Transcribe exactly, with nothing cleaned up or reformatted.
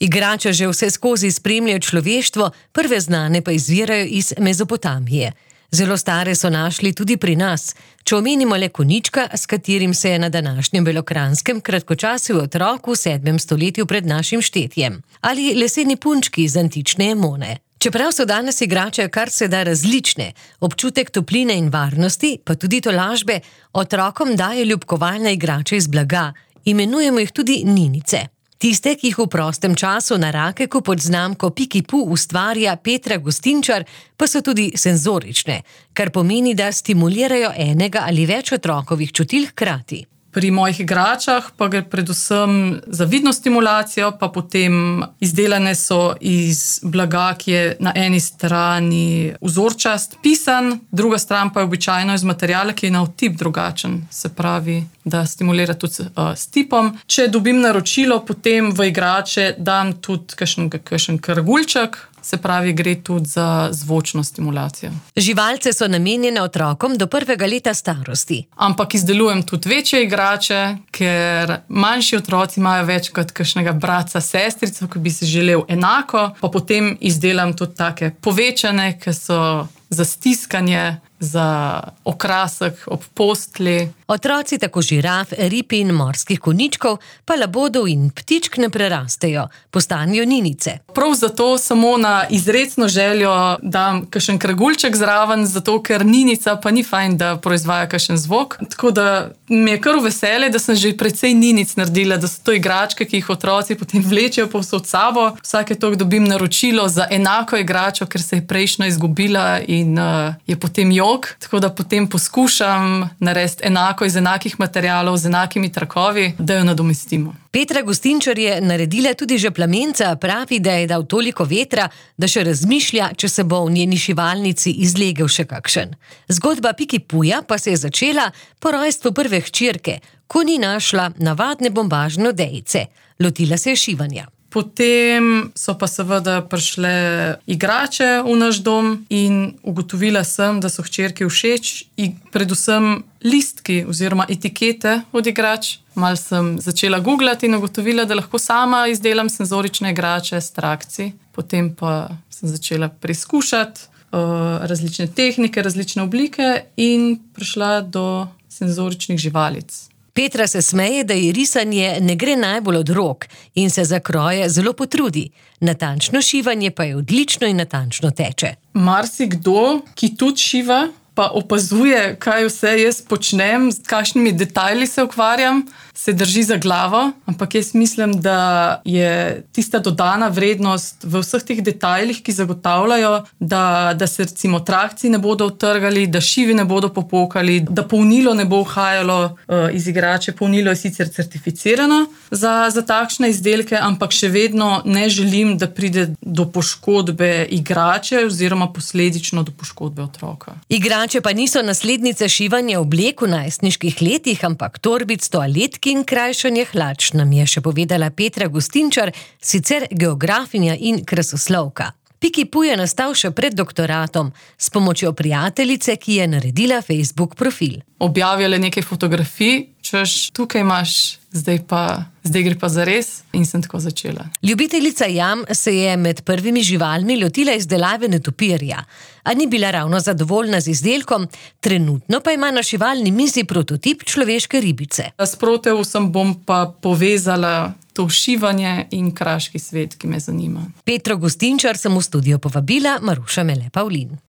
Igrače že vse skozi spremljajo človeštvo, prve znane pa izvirajo iz Mezopotamije. Zelo stare so našli tudi pri nas. Če omenimo le konjička, s katerim se je na današnjem Belokranjskem kratkočasil otrok v sedmem stoletju pred našim štetjem. Ali leseni punčki iz antične Emone. Čeprav so danes igrače kar se da različne, občutek topline in varnosti, pa tudi tolažbe, otrokom daje ljubkovalne igrače iz blaga. Imenujemo jih tudi ninice. Tiste, ki jih v prostem času na Rakeku pod znamko Piki-pu ustvarja Petra Gustinčar, pa so tudi senzorične, kar pomeni, da stimulirajo enega ali več otrokovih čutil hkrati. Pri mojih igračah pa gre predvsem za vidno stimulacijo, pa potem izdelane so iz blaga, ki je na eni strani vzorčast, pisan, druga stran pa je običajno iz materiala, ki je na vtip drugačen, se pravi, da stimulira tudi uh, s tipom. Če dobim naročilo, potem v igrače dam tudi kakšen, kakšen kragulček, se pravi, gre tudi za zvočno stimulacijo. Živalce so namenjene otrokom do prvega leta starosti. Ampak izdelujem tudi večje igrače, ker manjši otroci imajo več kot kakšnega bratca, sestrico, ki bi si želel enako, pa potem izdelam tudi take povečane, ki so za stiskanje, za okrasek ob postli. Otroci tako žiraf, rib in morskih konjičkov, pa labodov in ptičk ne prerastejo, postanejo ninice. Prav zato samo na izrecno željo dam kakšen kragulček zraven, zato ker ninica pa ni fajn, da proizvaja kakšen zvok. Tako da mi je kar veselje, da sem že precej ninic naredila, da so to igračke, ki jih otroci potem vlečejo povsod sabo. Vsake toliko dobim naročilo za enako igračo, ker se je prejšnjo izgubila in uh, je potem jo. Tako da potem poskušam narediti enako iz enakih materialov, z enakimi trakovi, da jo nadomestimo. Petra Gustinčar je naredila tudi že plamenca, pravi, da je dal toliko vetra, da še razmišlja, če se bo v njeni šivalnici izlegel še kakšen. Zgodba Piki-puja pa se je začela po rojstvu prve hčerke, ko ni našla navadne bombažne odejice. Lotila se je šivanja. Potem so pa seveda prišle igrače v naš dom in ugotovila sem, da so hčerki všeč in predvsem listki oziroma etikete od igrač. Mal sem začela googlati in ugotovila, da lahko sama izdelam senzorične igrače s trakci. Potem pa sem začela preizkušati uh, različne tehnike, različne oblike in prišla do senzoričnih živalic. Petra se smeje, da ji risanje ne gre najbolj od rok in se za kroje zelo potrudi. Natančno šivanje pa je odlično in natančno teče. Marsikdo, ki tudi šiva, pa opazuje, kaj vse jaz počnem, s kakšnimi detajli se ukvarjam, se drži za glavo, ampak jaz mislim, da je tista dodana vrednost v vseh teh detajlih, ki zagotavljajo, da, da se recimo trakci ne bodo utrgali, da šivi ne bodo popokali, da polnilo ne bo uhajalo uh, iz igrače. Polnilo je sicer certificirano za, za takšne izdelke, ampak še vedno ne želim, da pride do poškodbe igrače oziroma posledično do poškodbe otroka. Igrače pa niso naslednice šivanja oblek v najstniških letih, ampak torbic, toaletki in krajšanje hlač, nam je še povedala Petra Gustinčar, sicer geografinja in krasoslovka. Piki-pu je nastal še pred doktoratom, s pomočjo prijateljice, ki je naredila Facebook profil. Objavljale nekaj fotografij, češ, tukaj imaš, zdaj pa, zdaj gre pa zares in sem tako začela. Ljubiteljica jam se je med prvimi živalmi lotila izdelave netopirja, a ni bila ravno zadovoljna z izdelkom, trenutno pa ima na šivalni mizi prototip človeške ribice. Sproti vsem bom pa povezala to šivanje in kraški svet, ki me zanima. Petro Gustinčar sem v studio povabila Maruša Mele Pavlin.